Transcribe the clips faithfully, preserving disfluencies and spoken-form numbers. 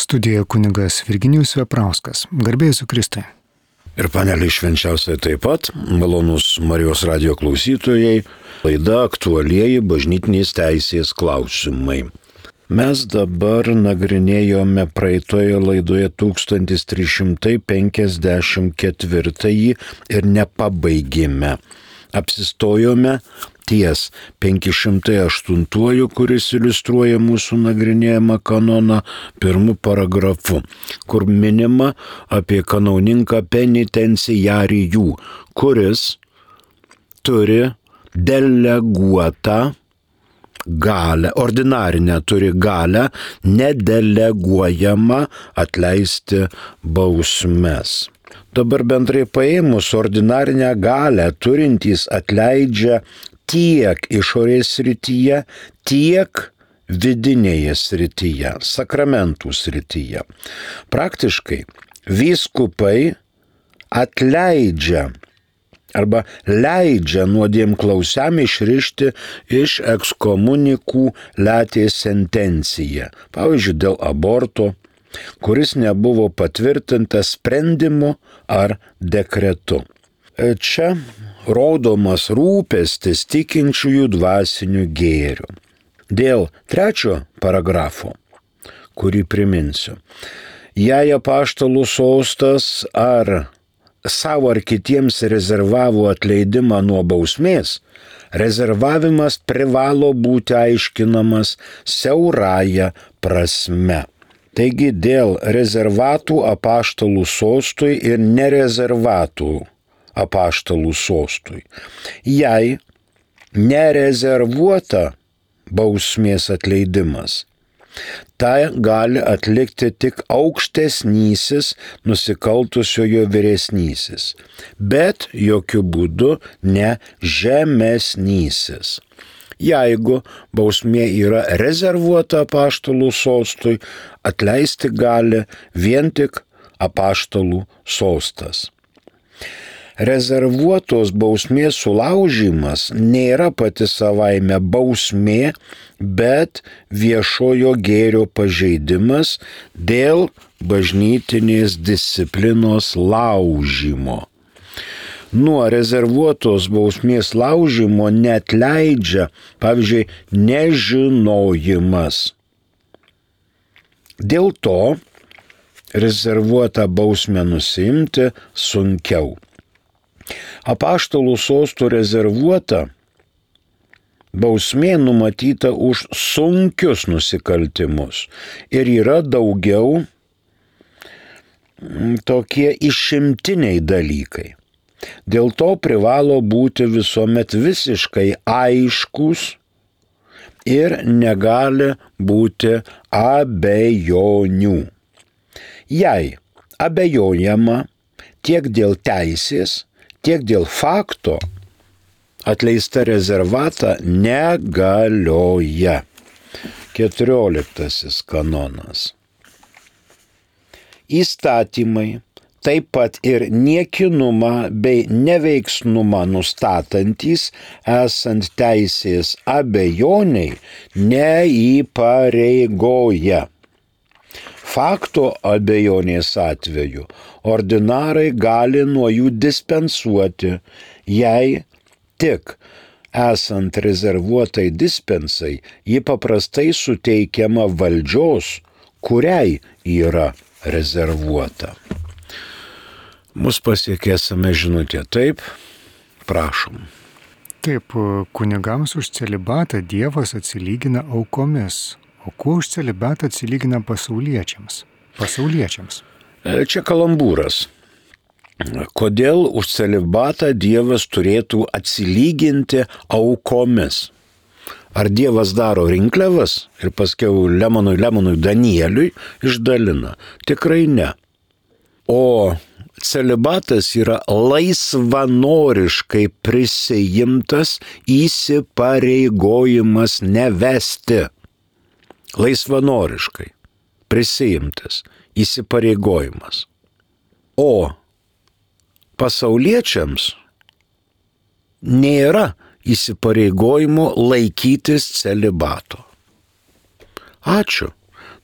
Studijoje kunigas Virginijus Veprauskas. Garbė Jėzui Kristui. Ir paneliai švenčiausiai taip pat, malonus Marijos radijo klausytojai, laida aktualieji bažnytinės teisės klausimai. Mes dabar nagrinėjome praeitoje laidoje tūkstantis trys šimtai penkiasdešimt ketvirtąjį ir nepabaigėme. Apsistojome ties penki šimtai aštuntuoju, kuris iliustruoja mūsų nagrinėjimą kanoną pirmu paragrafu, kur minima apie kanauninką penitenciarijų, kuris turi deleguotą galę, ordinarinę turi galę, nedeleguojamą atleisti bausmes. Dabar bendrai paėmus ordinarinę galę turintys atleidžia tiek išorės srityje, tiek vidinėje srityje, sakramentų srityje. Praktiškai vyskupai atleidžia arba leidžia nuodėmklausiam išrišti iš ekskomunikų letės sentenciją, pavyzdžiui, dėl aborto, kuris nebuvo patvirtintas sprendimu ar dekretu. Čia rodomas rūpestis tikinčiųjų dvasiniu gėriu. Dėl trečio paragrafo, kurį priminsiu, jei apaštalų sostas ar savo ar kitiems rezervavo atleidimą nuo bausmės, rezervavimas privalo būti aiškinamas siaurąja prasme. Taigi dėl rezervatų apaštalų sostui ir nerezervatų apaštalų sostui. Jei nerezervuota bausmės atleidimas, tai gali atlikti tik aukštesnysis nusikaltusiojo vyresnysis, bet jokių būdų ne žemesnysis. Jeigu bausmė yra rezervuota apaštalų sostui, atleisti gali vien tik apaštalų sostas. Rezervuotos bausmės sulaužymas nėra pati savaime bausmė, bet viešojo gėrio pažeidimas dėl bažnytinės disciplinos laužymo. Nuo rezervuotos bausmės laužymo neatleidžia, pavyzdžiui, nežinojimas. Dėl to rezervuotą bausmę nusiimti sunkiau. Apaštalų sostų rezervuota bausmė numatyta už sunkius nusikaltimus ir yra daugiau tokie išimtiniai dalykai. Dėl to privalo būti visuomet visiškai aiškus ir negali būti abejonių. Jei abejojama tiek dėl teisės, tiek dėl fakto, atleista rezervata negalioja. Keturioliktasis kanonas. Įstatymai, taip pat ir niekinumą bei neveiksnumą nustatantys, esant teisės abejoniai, neįpareigoja. Fakto abejonės atveju ordinarai gali nuo jų dispensuoti, jei tik esant rezervuotai dispensai, ji paprastai suteikiama valdžios, kuriai yra rezervuota. Mus pasiekėsime žinutė, taip, prašom. Taip, kunigams už celibatą Dievas atsilygina aukomis, o kuo už celibatą atsilygina pasauliečiams? Pasauliečiams. Čia kalambūras. Kodėl už celibatą Dievas turėtų atsilyginti aukomis? Ar Dievas daro rinkliavas ir paskiau Lemonui, Lemonui, Danieliui išdalina? Tikrai ne. O celibatas yra laisvanoriškai prisijimtas įsipareigojimas nevesti. Laisvanoriškai prisijimtas įsipareigojimas. O pasauliečiams nėra įsipareigojimo laikytis celibato. Ačiū.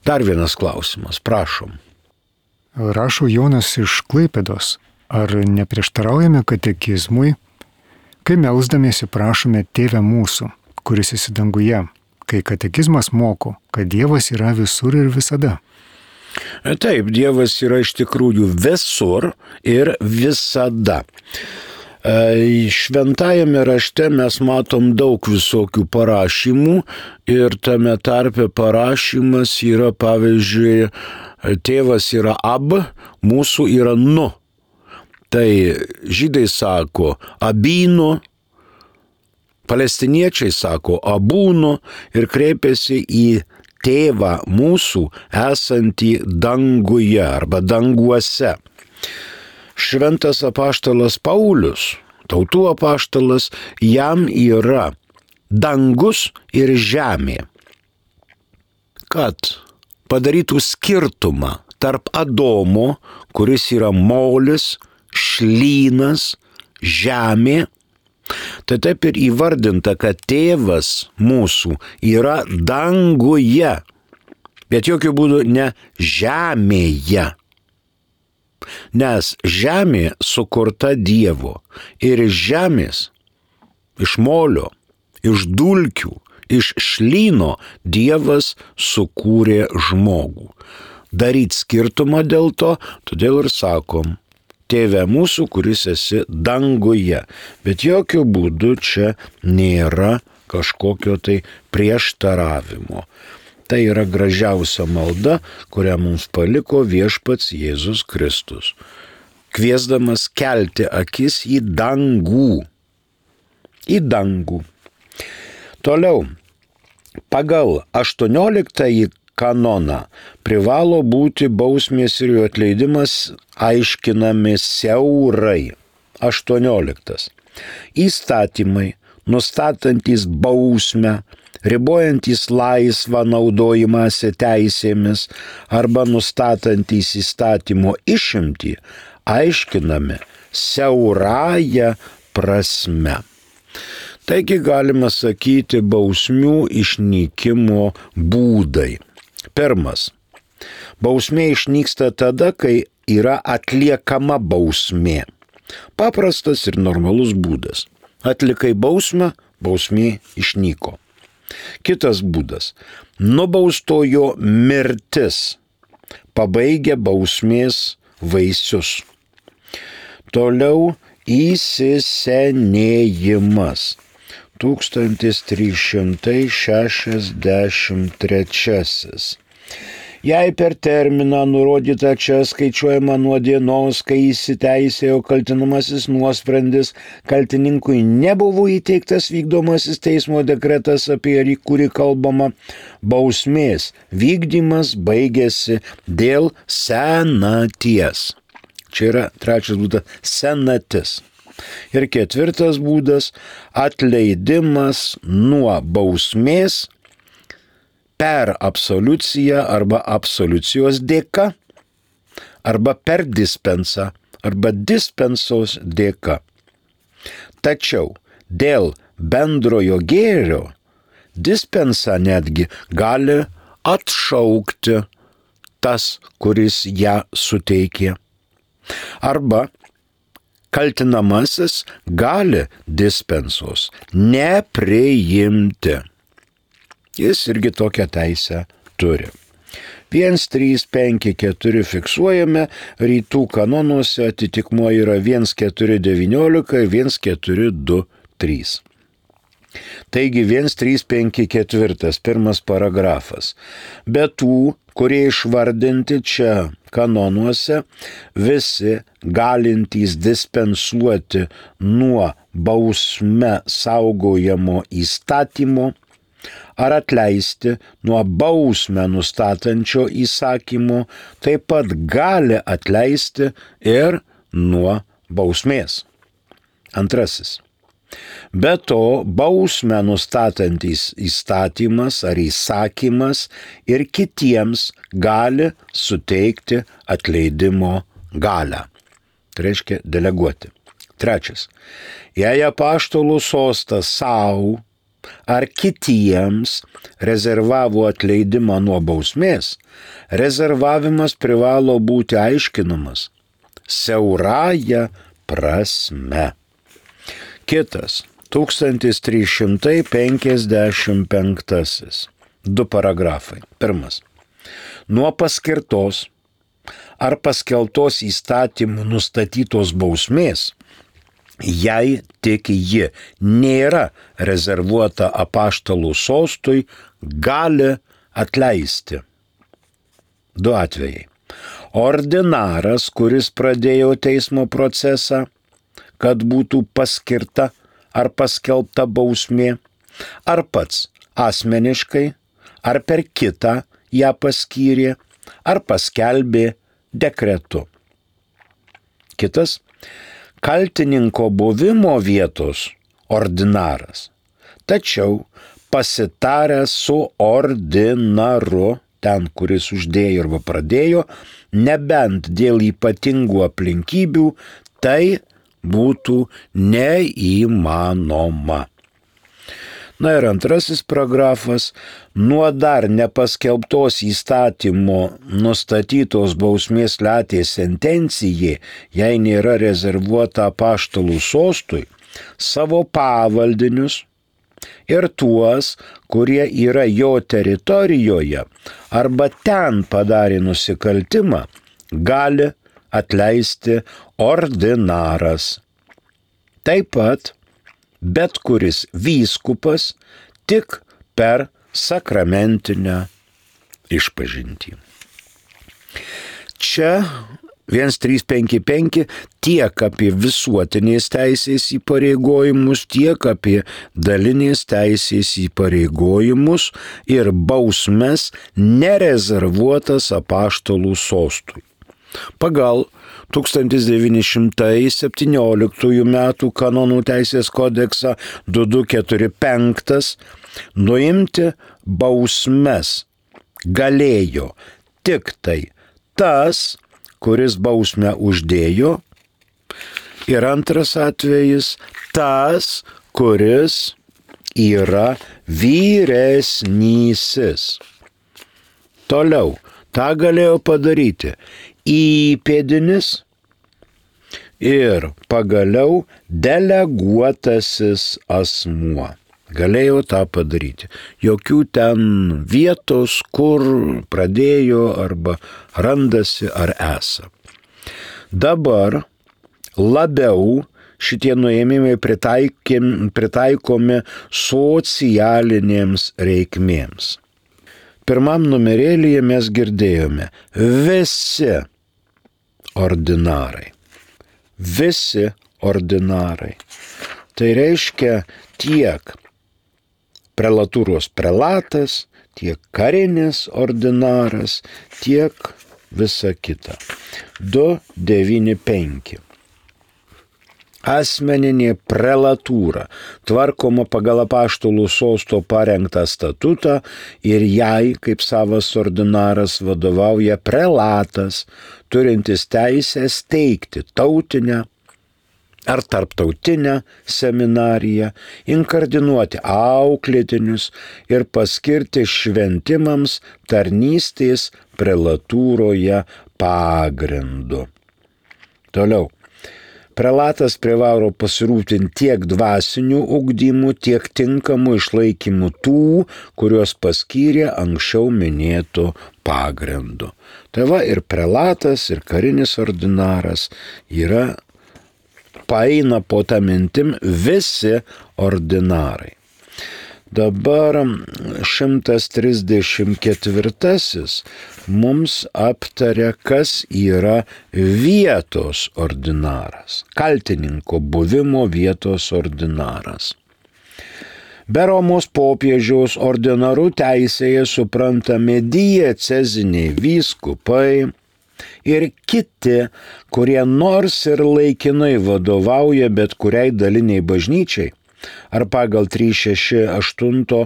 Dar vienas klausimas, prašom. Rašo Jonas iš Klaipėdos. Ar neprieštaraujame katekizmui, kai melsdamiesi prašome Tėve mūsų, kuris esi danguje, kai katekizmas moko, kad Dievas yra visur ir visada? Taip, Dievas yra iš tikrųjų visur ir visada. Šventajame rašte mes matom daug visokių parašymų ir tame tarpe parašymas yra, pavyzdžiui, Tėvas yra ab, mūsų yra nu. Tai žydai sako abynų, palestiniečiai sako abūnų ir kreipiasi į Tėvą mūsų esantį danguje arba danguose. Šventas apaštalas Paulius, tautų apaštalas, jam yra dangus ir žemė, kad padarytų skirtumą tarp Adomo, kuris yra molis, šlynas, žemė. Tai taip ir įvardinta, kad Tėvas mūsų yra danguje, bet jokių būdų ne žemėje. Nes žemė sukurta Dievo ir iš žemės, iš molio, iš dulkių, iš šlyno Dievas sukūrė žmogų. Daryt skirtumą dėl to, todėl ir sakom, Tėve mūsų, kuris esi danguje, bet jokių būdų čia nėra kažkokio tai prieštaravimo. Tai yra gražiausia malda, kurią mums paliko viešpats Jėzus Kristus, kviesdamas kelti akis į dangų. Į dangų. Toliau, pagal aštuonioliktąjį kanoną privalo būti bausmės ir jų atleidimas aiškinami siaurai. aštuonioliktas. Įstatymai, nustatantys bausmę, ribojantys laisvą naudojimąsi teisėmis arba nustatantys įstatymo išimtį, aiškinami siaurąją prasme. Taigi galima sakyti bausmių išnykimo būdai. Pirmas. Bausmė išnyksta tada, kai yra atliekama bausmė. Paprastas ir normalus būdas. Atlikai bausmę, bausmė išnyko. Kitas būdas. Nubaustojo mirtis pabaigia bausmės vaisius. Toliau įsisenėjimas. tūkstantis trys šimtai šešiasdešimt trečiasis. Jei per terminą nurodytą čia skaičiuojama nuo dienos, kai įsiteisėjo kaltinamasis nuosprendis, kaltininkui nebuvo įteiktas vykdomasis teismo dekretas, apie kurį kalbama, bausmės vykdymas baigėsi dėl senaties. Čia yra trečias būdas – senatis. Ir ketvirtas būdas – atleidimas nuo bausmės per absoliuciją arba absoliucijos dėka, arba per dispensą, arba dispensos dėka. Tačiau dėl bendrojo gėrio dispensą netgi gali atšaukti tas, kuris ją suteikė. Arba kaltinamasis gali dispensos nepriimti. Jis irgi tokią teisę turi. vienas trys penki keturi fiksuojame, rytų kanonuose atitikmuo yra vienas keturi devyniolika ir vienas keturi du trys. Taigi vienas trys penki keturi, pirmas paragrafas. Be tų, kurie išvardinti čia kanonuose, visi galintys dispensuoti nuo bausme saugojamo įstatymo ar atleisti nuo bausmę nustatančio įsakymo, taip pat gali atleisti ir nuo bausmės. Antrasis. Be to, bausmę nustatantis įstatymas ar įsakymas ir kitiems gali suteikti atleidimo galią. Tai reiškia deleguoti. Trečias. Jei apaštalų sostas savo ar kitiems rezervavo atleidimą nuo bausmės, rezervavimas privalo būti aiškinamas siaurąja prasme. Kitas, tūkstantis trys šimtai penkiasdešimt penktasis. Du paragrafai. Pirmas. Nuo paskirtos ar paskeltos įstatymų nustatytos bausmės, jei tik ji nėra rezervuota apaštalų sostui, gali atleisti. Du atvejai. Ordinaras, kuris pradėjo teismo procesą, kad būtų paskirta ar paskelbta bausmė, ar pats asmeniškai, ar per kitą ją paskyrė, ar paskelbė dekretu. Kitas. Kaltininko buvimo vietos ordinaras, tačiau pasitaręs su ordinaru, ten, kuris uždėjo arba pradėjo, nebent dėl ypatingų aplinkybių, tai būtų neįmanoma. Na ir antrasis paragrafas, nuo dar nepaskelbtos įstatymo nustatytos bausmės latės sentencijai, jei nėra rezervuota apaštalų sostui, savo pavaldinius ir tuos, kurie yra jo teritorijoje arba ten padarė nusikaltimą, gali atleisti ordinaras. Taip pat bet kuris vyskupas tik per sakramentinę išpažintį. Čia vienas trys penki penki tiek apie visuotinės teisės įpareigojimus, tiek apie dalinės teisės įpareigojimus ir bausmes nerezervuotas apaštalų sostui. Pagal tūkstantis devyni šimtai septynioliktųjų metų kanonų teisės kodeksą du du keturi penki nuimti bausmes galėjo tik tai tas, kuris bausmę uždėjo, ir antras atvejis tas, kuris yra vyresnysis. Toliau, tą galėjo padaryti įpėdinis ir pagaliau deleguotasis asmuo. Galėjo tą padaryti. Jokių ten vietos, kur pradėjo arba randasi ar esa. Dabar labiau šitie nuėmimai pritaikomi socialinėms reikmėms. Pirmam numerėlyje mes girdėjome visi ordinarai. Visi ordinarai. Tai reiškia tiek prelatūros prelatas, tiek karinis ordinaras, tiek visa kita. du devyni penki. Asmeninė prelatūra tvarkoma pagal apaštalų sosto parengtą statutą ir jai, kaip savas ordinaras, vadovauja prelatas, turintis teisę steigti tautinę ar tarptautinę seminariją, inkardinuoti auklėtinius ir paskirti šventimams tarnystės prelatūroje pagrindu. Toliau. Prelatas privalo pasirūpinti tiek dvasinių ugdymų, tiek tinkamų išlaikymų tų, kuriuos paskyrė anksčiau minėtų pagrindų. Tai va ir prelatas, ir karinis ordinaras yra, paeina po tą mintim visi ordinarai. Dabar šimtas trisdešimt ketvirtasis mums aptaria, kas yra vietos ordinaras, kaltininko buvimo vietos ordinaras. Be Romos popiežiaus ordinarų teisėje suprantami dieceziniai vyskupai ir kiti, kurie nors ir laikinai vadovauja bet kuriai daliniai bažnyčiai, ar pagal trys šeši aštuoni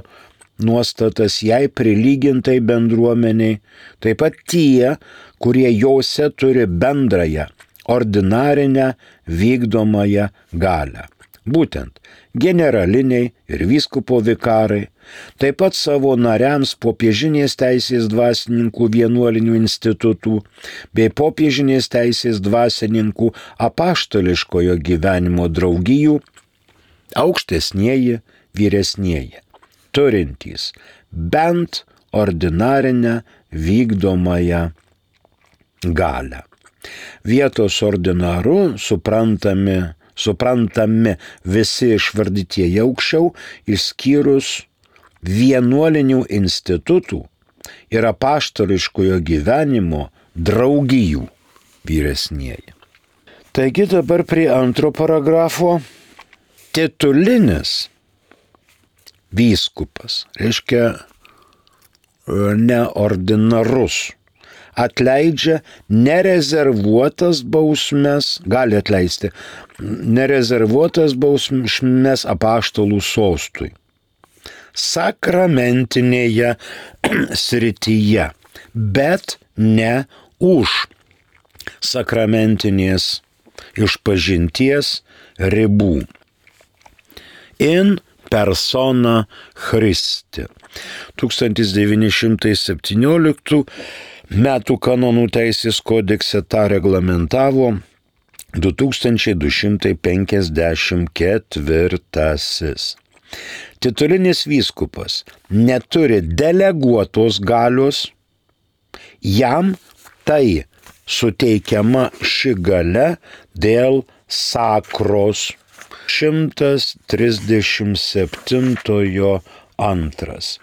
nuostatas jai prilygintai bendruomeniai, taip pat tie, kurie jose turi bendrąją, ordinarinę vykdomąją galią. būtent generaliniai ir vyskupo vikarai, taip pat savo nariams popiežinės teisės dvasininkų vienuolinių institutų bei popiežinės teisės dvasininkų apaštališkojo gyvenimo draugijų aukštesnieji, vyresnieji, turintys bent ordinarinę vykdomąją galią. Vietos ordinaru suprantami, suprantami visi išvardytieji aukščiau, išskyrus vienuolinių institutų ir apaštališkojo gyvenimo draugijų vyresnieji. Taigi dabar prie antro paragrafo. Titulinis vyskupas, reiškia neordinarus, atleidžia nerezervuotas bausmes, gali atleisti nerezervuotas bausmes apaštalų sostui sakramentinėje srityje, bet ne už sakramentinės išpažinties ribų. In persona Christi. tūkstantis devyni šimtai septynioliktų metų kanonų teisės kodekse tą reglamentavo du tūkstančiai du šimtai penkiasdešimt ketvirtasis. Titulinis vyskupas neturi deleguotos galios, jam tai suteikiama ši galia dėl sakros. šimtas trisdešimt septintojo antras.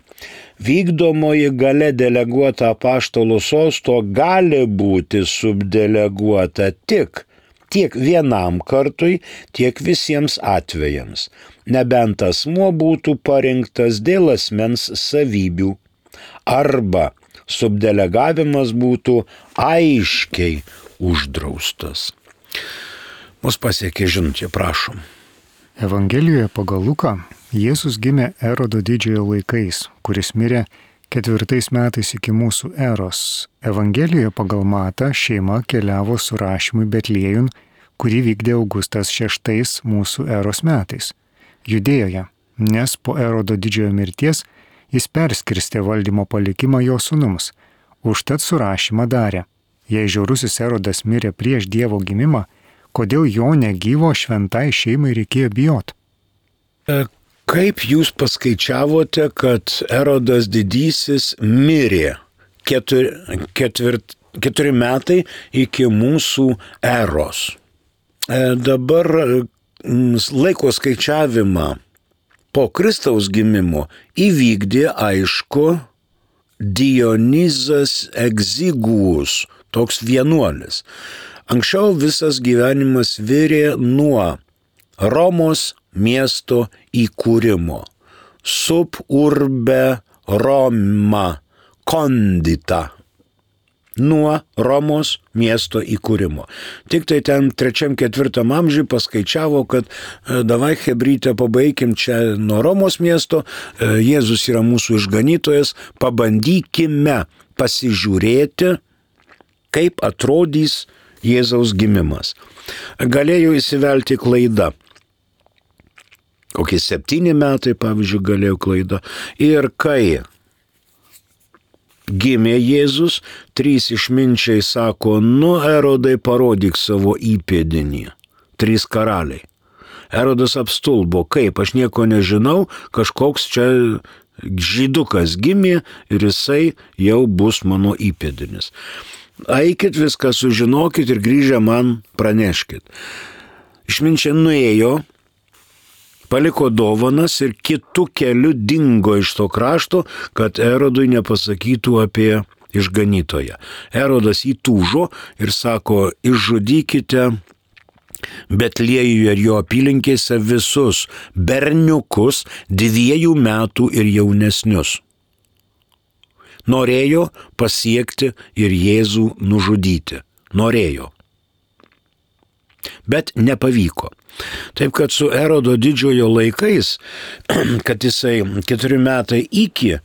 Vykdomoji galia deleguota apaštalo sosto gali būti subdeleguota tik tiek vienam kartui, tiek visiems atvejams, nebent asmuo būtų parinktas dėl asmens savybių, arba subdelegavimas būtų aiškiai uždraustas. Mus pasiekė žinutė, prašom. Evangelijoje pagal Luką Jėzus gimė Erodo didžiojo laikais, kuris mirė ketvirtais metais iki mūsų eros. Evangelijoje pagal Matą šeima keliavo su rašymui Betliejun, kurį vykdė Augustas šeštais mūsų eros metais, Judėjoje, nes po Erodo didžiojo mirties jis perskirstė valdymo palikimą jo sūnums, užtat surašymą darė. Jei žiaurusis Erodas mirė prieš Dievo gimimą, kodėl jo negyvo šventai šeimai reikėjo bijot? Kaip jūs paskaičiavote, kad Erodas didysis mirė keturi, ketvirt, keturi metai iki mūsų eros? Dabar laiko skaičiavimą po Kristaus gimimo įvykdė, aišku, Dionizas Egziguus, toks vienuolis. Anksčiau visas gyvenimas virė nuo Romos miesto įkūrimo. Sub urbe Roma condita. Nuo Romos miesto įkūrimo. Tik tai ten trečiam, ketvirtam amžiui paskaičiavo, kad davai hebrytę pabaikim čia nuo Romos miesto, Jėzus yra mūsų išganytojas, pabandykime pasižiūrėti, kaip atrodys Jėzaus gimimas. Galėjo įsivelti klaida. Kokie septyni metai, pavyzdžiui, galėjo klaida. Ir kai gimė Jėzus, trys išminčiai sako, nu, Erodai, parodyk savo įpėdinį. Trys karaliai. Erodas apstulbo, kaip, aš nieko nežinau, kažkoks čia žydukas gimė ir jisai jau bus mano įpėdinis. Eikit viską sužinokit ir grįžę man praneškit. Išminčiai nuėjo, paliko dovanas ir kitų kelių dingo iš to krašto, kad Erodui nepasakytų apie išganytoją. Erodas įtūžo ir sako, išžudykite Betliejuje ir jo apylinkėse visus berniukus dviejų metų ir jaunesnius. Norėjo pasiekti ir Jėzų nužudyti. Norėjo. Bet nepavyko. Taip kad su Erodo didžiojo laikais, kad jisai keturi metai iki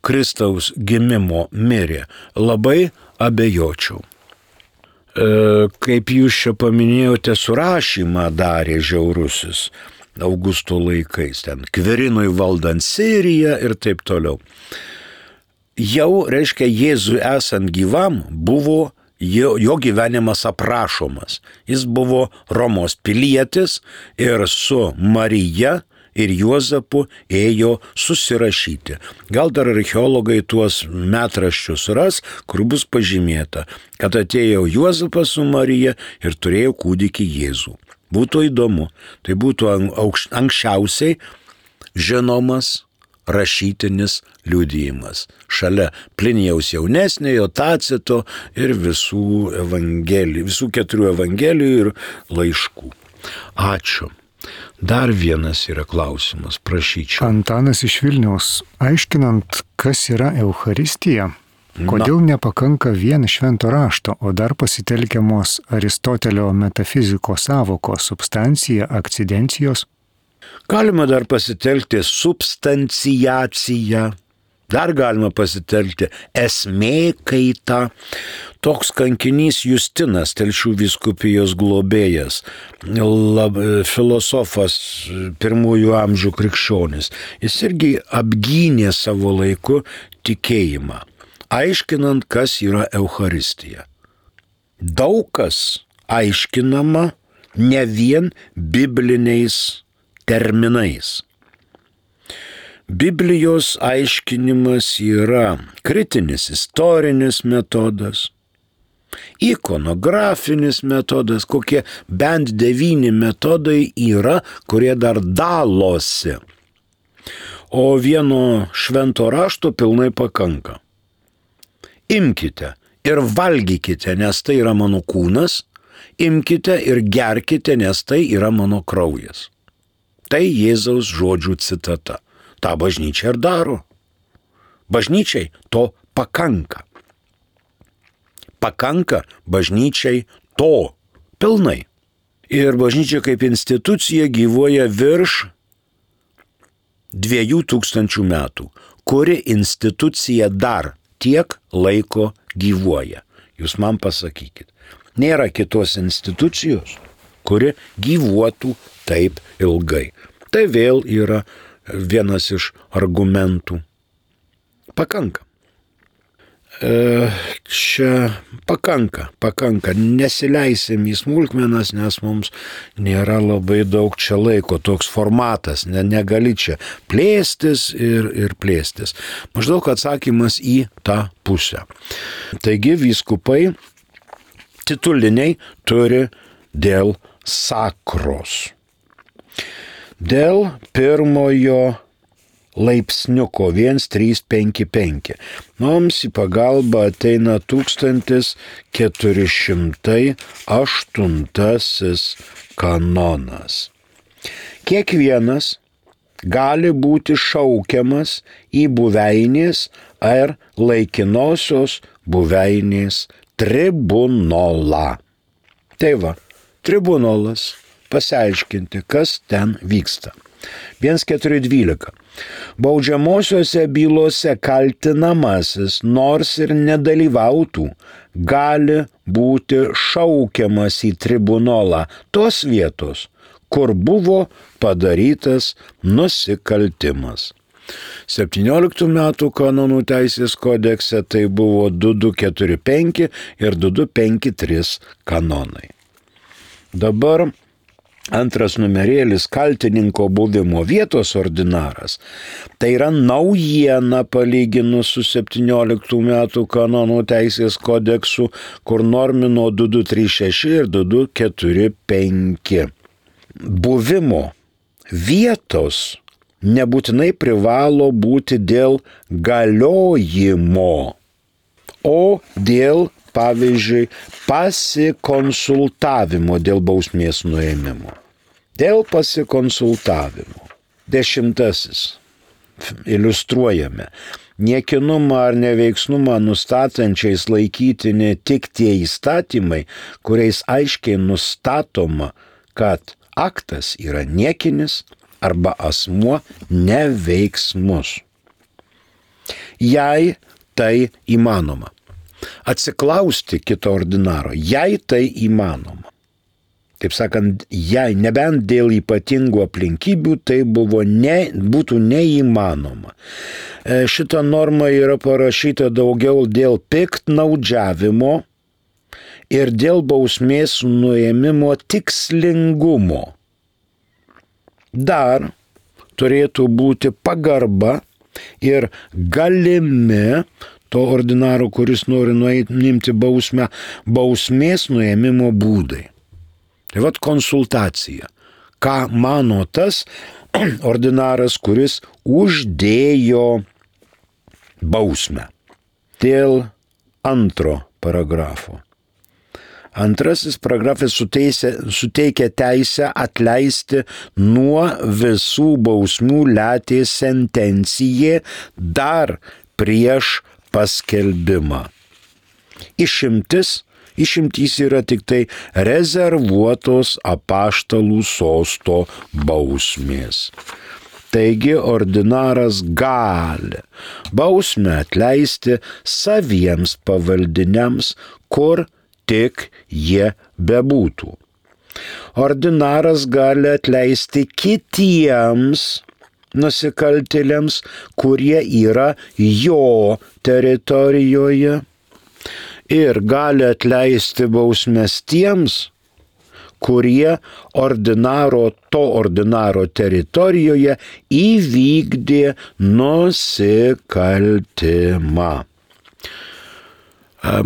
Kristaus gimimo mirė, labai abejočiau. E, kaip jūs čia paminėjote, surašymą darė žiaurusis. Augusto laikais, ten Kverinui valdant Siriją ir taip toliau. Jau, reiškia, Jėzui esant gyvam buvo jo, jo gyvenimas aprašomas. Jis buvo Romos pilietis ir su Marija ir Juozapu ėjo susirašyti. Gal dar archeologai tuos metraščius ras, kur bus pažymėta, kad atėjo Juozapas su Marija ir turėjo kūdikį Jėzų. Būtų įdomu, tai būtų anksčiausiai žinomas rašytinis liudijimas. Šalia Plinijaus jaunesniojo, Tacito ir visų evangelijų, visų keturių evangelijų ir laiškų. Ačiū. Dar vienas yra klausimas, prašyčiau. Antanas iš Vilniaus, aiškinant, kas yra Eucharistija, kodėl Na. nepakanka vien švento rašto, o dar pasitelkiamos Aristotelio metafizikos sąvokos substancija, akcidencijos? Galima dar pasitelkti substanciaciją, dar galima pasitelkti esmė kaitą. Toks kankinys Justinas, Telšių vyskupijos globėjas, lab, filosofas pirmųjų amžių krikščionis, jis irgi apgynė savo laiku tikėjimą, aiškinant, kas yra Eucharistija. Daug kas aiškinama ne vien bibliniais terminais. Biblijos aiškinimas yra kritinis istorinis metodas, ikonografinis metodas, kokie bent devyni metodai yra, kurie dar dalosi. O vieno švento rašto pilnai pakanka. Imkite ir valgykite, nes tai yra mano kūnas, imkite ir gerkite, nes tai yra mano kraujas. Tai Jėzaus žodžių citata. Ta bažnyčia ir daro. Bažnyčiai to pakanka. Pakanka bažnyčiai to pilnai. Ir bažnyčia kaip institucija gyvuoja virš dviejų tūkstančių metų. Kuri institucija dar tiek laiko gyvuoja? Jūs man pasakykit. Nėra kitos institucijos, kuri gyvuotų taip ilgai. Tai vėl yra vienas iš argumentų. Pakanka. E, čia pakanka, pakanka. Nesileisim į smulkmenas, nes mums nėra labai daug čia laiko. Toks formatas, ne, negali čia plėstis ir, ir plėstis. Maždaug atsakymas į tą pusę. Taigi vyskupai tituliniai turi dėl sakros. Dėl pirmojo laipsniuko vienas trys penki penki. Mums į pagalbą ateina tūkstantis keturi šimtai aštuntasis kanonas. Kiekvienas gali būti šaukiamas į buveinės ar laikinosios buveinės tribunolą. Tai va, tribunolas. Pasiaiškinti, kas ten vyksta. vienas keturi dvylika. Baudžiamosiose bylose kaltinamasis, nors ir nedalyvautų, gali būti šaukiamas į tribunolą tos vietos, kur buvo padarytas nusikaltimas. septynioliktų metų kanonų teisės kodekse tai buvo du du keturi penki ir du du penki trys kanonai. Dabar antras numerėlis kaltininko buvimo vietos ordinaras. Tai yra naujiena palyginus su septynioliktų metų kanonų teisės kodeksu, kur normino du du trys šeši ir du du keturi penki. Buvimo vietos nebūtinai privalo būti dėl galiojimo, o dėl, pavyzdžiui, pasikonsultavimo dėl bausmės nuėmimo. Dėl pasikonsultavimo. Dešimtasis. Iliustruojame. Niekinumą ar neveiksnumą nustatančiais laikytini tik tie įstatymai, kuriais aiškiai nustatoma, kad aktas yra niekinis arba asmuo neveiksmus. Jei tai įmanoma. Atsiklausti kito ordinaro, jei tai įmanoma. Taip sakant, jei nebent dėl ypatingų aplinkybių, tai buvo ne, būtų neįmanoma. Šita norma yra parašyta daugiau dėl piktnaudžiavimo ir dėl bausmės nuėmimo tikslingumo. Dar turėtų būti pagarba ir galimi to ordinaro, kuris nori nuimti bausmę, bausmės nuėmimo būdai. Tai vat konsultacija. Ką mano tas ordinaras, kuris uždėjo bausmę. Dėl antro paragrafo. Antrasis paragrafas suteikia teisę atleisti nuo visų bausmių letė sentencijė dar prieš paskelbimą. Išimtis Išimtys yra tik tai rezervuotos apaštalų sosto bausmės. Taigi ordinaras gali bausmę atleisti saviems pavaldiniams, kur tik jie bebūtų. Ordinaras gali atleisti kitiems nusikaltėliams, kurie yra jo teritorijoje. Ir gali atleisti bausmes tiems, kurie ordinaro, to ordinaro teritorijoje įvykdė nusikaltimą.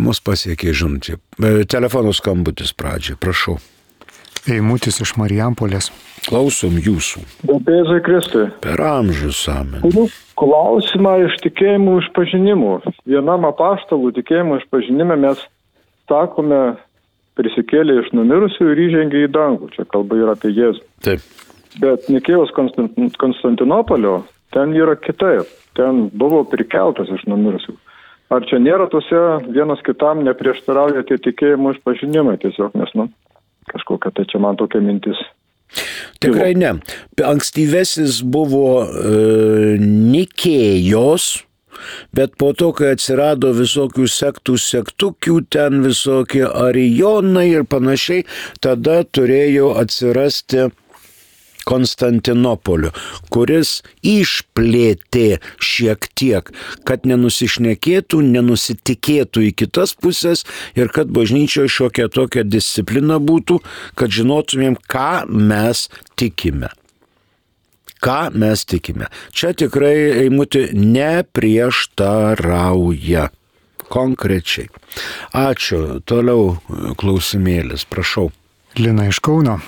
Mus pasiekė žinutė. Telefonų skambutis pradžiai, prašau. Eimutis iš Marijampolės. Klausom jūsų. Garbėzai Kristui. Per amžius amen. Turiu klausimą iš tikėjimų išpažinimų. Vienam apaštalų tikėjimų išpažinime mes sakome, prisikėlė iš numirusių ir įžengė į dangų. Čia kalba yra apie Jėzų. Taip. Bet Nikėjos Konstantinopolio ten yra kitaip. Ten buvo prikeltas iš numirusių. Ar čia nėra tose vienas kitam neprieštarauja tie tikėjimų išpažinimai tiesiog, nes, nu, kažkokia tai čia man tokia mintis. Tikrai ne. Ankstyvesis buvo e, Nikėjos, bet po to, kai atsirado visokių sektų sektukių, ten visokie arijonai ir panašiai, tada turėjo atsirasti Konstantinopolio, kuris išplėtė šiek tiek, kad nenusišnekėtų, nenusitikėtų į kitas pusės ir kad bažnyčioje šiokia tokia disciplina būtų, kad žinotumėm, ką mes tikime. Ką mes tikime. Čia tikrai Eimuti neprieštarauja. Konkrečiai. Ačiū. Toliau klausimėlis. Prašau. Lina iš Kauno.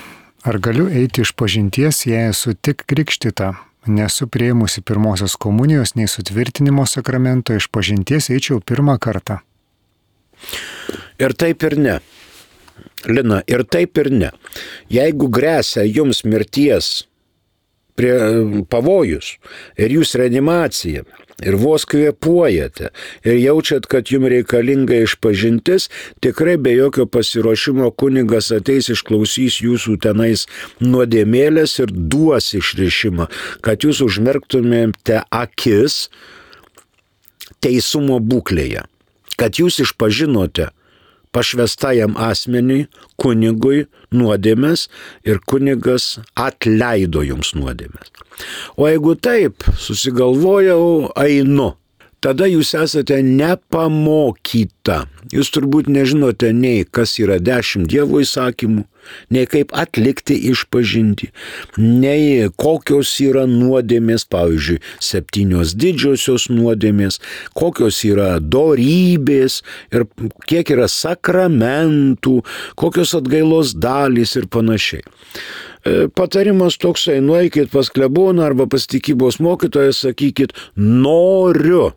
Ar galiu eiti iš pažinties, jei esu tik krikštyta, nesu priėmusi pirmosios komunijos, nei sutvirtinimo sakramento, iš pažinties eičiau pirmą kartą? Ir taip ir ne. Lina, ir taip ir ne. Jeigu gresia jums mirties prie pavojus ir jūs reanimacija ir vos kvėpuojate ir jaučiat, kad jums reikalinga išpažintis, tikrai be jokio pasiruošimo kunigas ateis, išklausys jūsų tenais nuodėmėlės ir duos išrišimą, kad jūs užmerktumėte akis teisumo būklėje, kad jūs išpažinote pašvestajam asmeniui, kunigui nuodėmės ir kunigas atleido jums nuodėmės. O jeigu taip, susigalvojau, einu, tada jūs esate nepamokyta. Jūs turbūt nežinote nei kas yra dešimt Dievo įsakymų, nei kaip atlikti išpažinti, nei kokios yra nuodėmės, pavyzdžiui, septynios didžiosios nuodėmės, kokios yra dorybės ir kiek yra sakramentų, kokios atgailos dalys ir panašiai. Patarimas toksai, nueikit pas kleboną arba pas tikybos mokytoją, sakykit, noriu,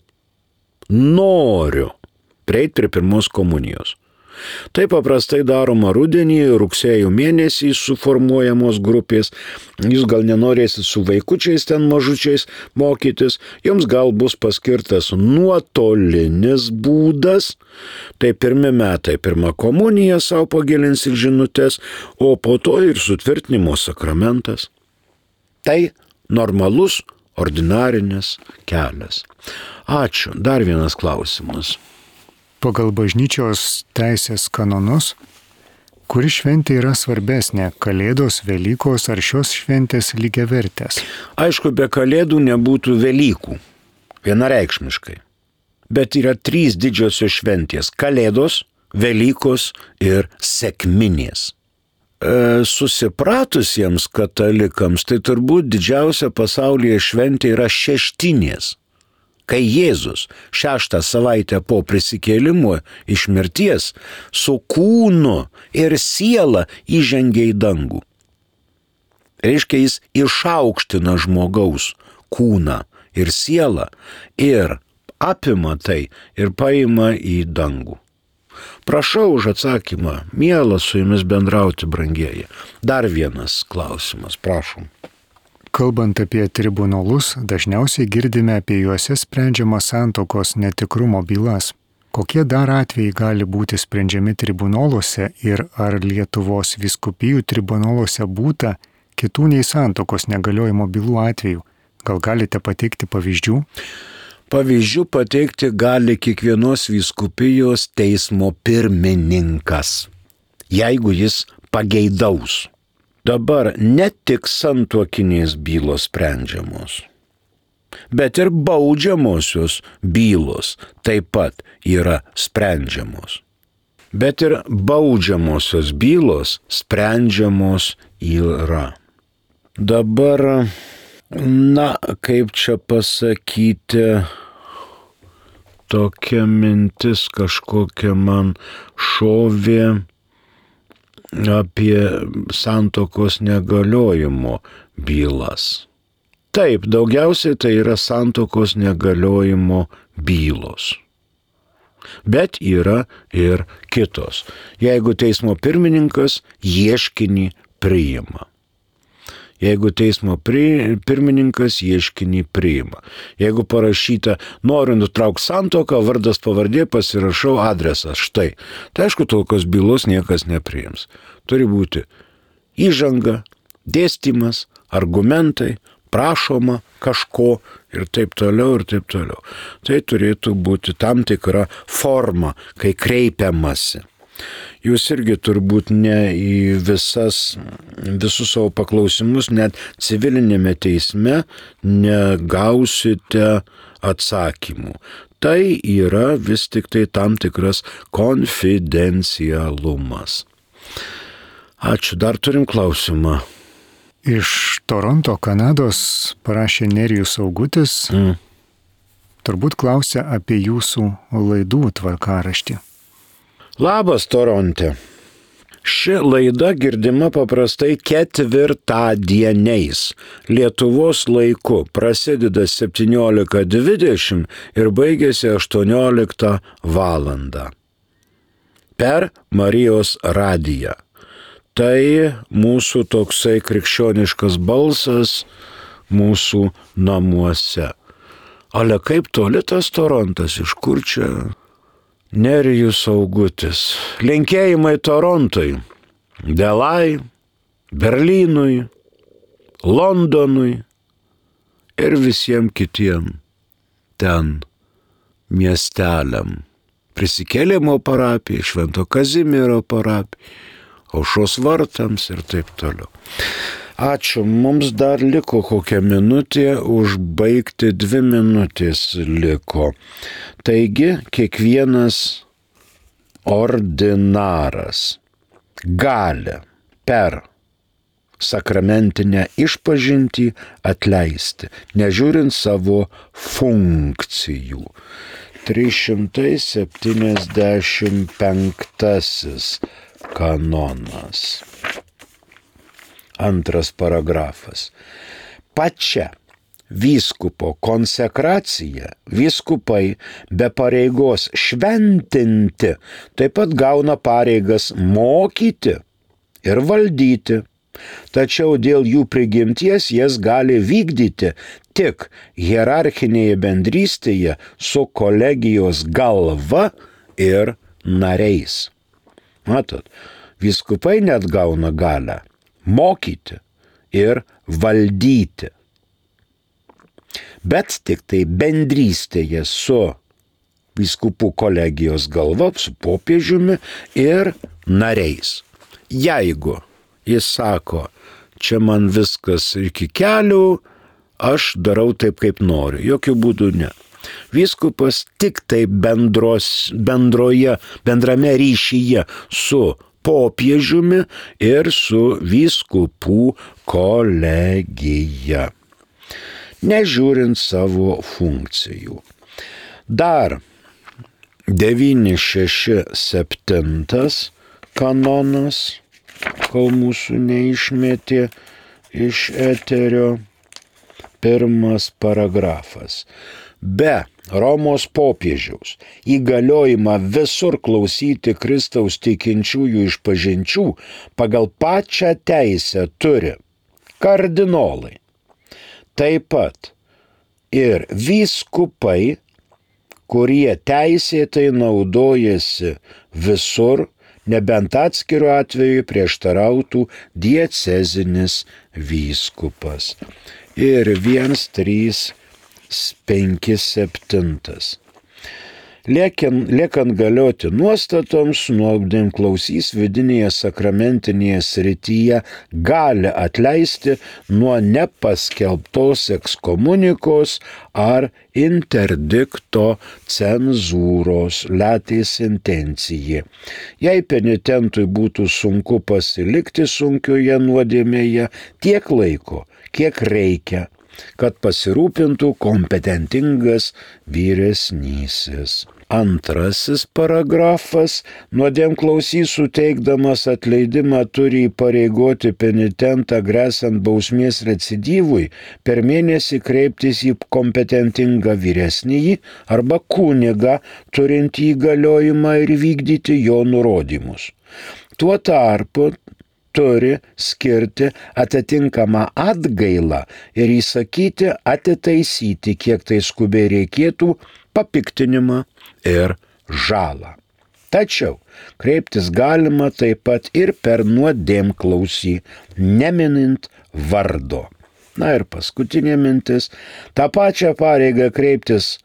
noriu prieiti prie pirmos komunijos. Tai paprastai daroma rudenį, rugsėjo mėnesį suformuojamos grupės. Jūs gal nenorėsit su vaikučiais ten mažučiais mokytis, jums gal bus paskirtas nuotolinis būdas. Tai pirmi metai, pirma komunija savo pagilins ir žinutės, o po to ir sutvirtinimo sakramentas. Tai normalus, ordinarinis kelias. Ačiū. Dar vienas klausimas. Pagal bažnyčios teisės kanonus Kuri šventė yra svarbesnė - Kalėdos, Velykos ar šios šventės lygiavertės? Aišku, be Kalėdų nebūtų Velykų. Vienareikšmiškai. Bet yra trys didžiosios šventės - Kalėdos, Velykos ir Sekminės. E, susipratusiems katalikams tai turbūt didžiausia pasaulyje šventė yra Šeštinės. Kai Jėzus šeštą savaitę po prisikėlimo iš mirties su kūnu ir siela įžengė į dangų. Reiškia, jis išaukština žmogaus kūną ir sielą ir apima tai ir paima į dangų. Prašau už atsakymą, miela su jumis bendrauti, brangieji. Dar vienas klausimas, prašom. Kalbant apie tribunolus, dažniausiai girdime apie juose sprendžiamą santuokos netikrumo bylas. Kokie dar atvejai gali būti sprendžiami tribunoluose ir ar Lietuvos vyskupijų tribunoluose būta kitų nei santuokos negaliojimo bylų atvejų? Gal galite pateikti pavyzdžių? Pavyzdžių pateikti gali kiekvienos vyskupijos teismo pirmininkas, jeigu jis pageidaus. Dabar ne tik santuokinės bylos sprendžiamos, bet ir baudžiamosios bylos taip pat yra sprendžiamos. Bet ir baudžiamosios bylos sprendžiamos yra. Dabar, na, kaip čia pasakyti, tokia mintis kažkokia man šovė apie santuokos negaliojimo bylas. Taip, daugiausiai tai yra santuokos negaliojimo bylos. Bet yra ir kitos. Jeigu teismo pirmininkas ieškinį priima. Jeigu teismo pri, pirmininkas ieškinį priima. Jeigu parašyta, noriu nutraukti santuoką, vardas pavardė, pasirašau adresą. Štai. Tai aišku, tokios bylos niekas nepriims. Turi būti įžanga, dėstymas, argumentai, prašoma kažko ir taip toliau ir taip toliau. Tai turėtų būti tam tikra forma, kai kreipiamasi. Jūs irgi turbūt ne į visas, visus savo paklausimus, net civilinėme teisme negausite atsakymų. Tai yra vis tik tai tam tikras konfidencialumas. Ačiū, dar turim klausimą. Iš Toronto, Kanados parašė Nerijus Augutis. Mm. Turbūt klausia apie jūsų laidų tvarkaraštį. Labas, Toronte. Ši laida girdima paprastai ketvirtadieniais. Lietuvos laiku prasideda septyniolika dvidešimt ir baigėsi aštuonioliktą valandą. Per Marijos radiją. Tai mūsų toksai krikščioniškas balsas mūsų namuose. Ale kaip toli tas Torontas, iš kur čia? Nerijus Augutis. Linkėjimai Torontui, Delai, Berlynui, Londonui ir visiems kitiem ten miesteliam. Prisikėlimo parapijai, Švento Kazimiero parapijai, Aušros vartams ir taip toliau. Ačiū, mums dar liko kokią minutę, užbaigti dvi minutės liko. Taigi, kiekvienas ordinaras gali per sakramentinę išpažintį atleisti, nežiūrint savo funkcijų. trys šimtai septyniasdešimt penktasis kanonas. Antras paragrafas. Pačia vyskupo konsekracija vyskupai be pareigos šventinti taip pat gauna pareigas mokyti ir valdyti, tačiau dėl jų prigimties jas gali vykdyti tik hierarchinėje bendrystėje su kolegijos galva ir nariais. Matot, vyskupai net gauna galią mokyti ir valdyti. Bet tik tai bendrystėje su vyskupų kolegijos galva, su popiežiumi ir nariais. Jeigu jis sako, čia man viskas iki kelių, aš darau taip, kaip noriu. Jokių būdų ne. Vyskupas tik tai bendros, bendroje, bendrame ryšyje su popiežiumi ir su vyskupų kolegija, nežiūrint savo funkcijų. Dar devyni šeši septyni kanonas, kol mūsų neišmetė iš eterio, pirmas paragrafas. Be Romos popiežiaus įgaliojimą visur klausyti Kristaus tikinčiųjų išpažinčių pagal pačią teisę turi kardinolai. Taip pat ir vyskupai, kurie teisėtai naudojasi visur, nebent atskiru atveju prieštarautų diecezinis vyskupas. Ir vienas, trys, penki, septintas. Liekiant, liekant galioti nuostatoms, nuodėmklausys vidinėje sakramentinėje srityje gali atleisti nuo nepaskelbtos ekskomunikos ar interdikto cenzūros latis intencijai. Jei penitentui būtų sunku pasilikti sunkioje nuodėmėje tiek laiko, kiek reikia, kad pasirūpintų kompetentingas vyresnysis. Antrasis paragrafas. Nuodėmklausys suteikdamas atleidimą turi įpareigoti penitentą gresiant bausmės recidyvui per mėnesį kreiptis į kompetentingą vyresnįjį arba kunigą turintį įgaliojimą ir vykdyti jo nurodymus. Tuo tarpu turi skirti atitinkamą atgailą ir įsakyti atitaisyti, kiek tai skubiai reikėtų, papiktinimą ir žalą. Tačiau kreiptis galima taip pat ir per nuodėmklausį, neminint vardo. Na ir paskutinė mintis. Ta pačią pareigą kreiptis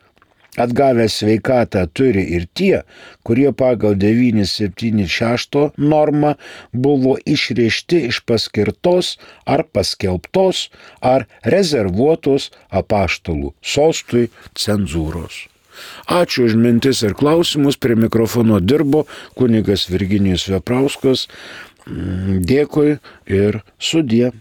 atgavę sveikatą turi ir tie, kurie pagal devyni septyni šeši normą buvo išrišti iš paskirtos ar paskelbtos ar rezervuotos apaštalų sostui cenzūros. Ačiū už mintis ir klausimus. Prie mikrofono dirbo kunigas Virginijus Veprauskas. Dėkui ir sudie.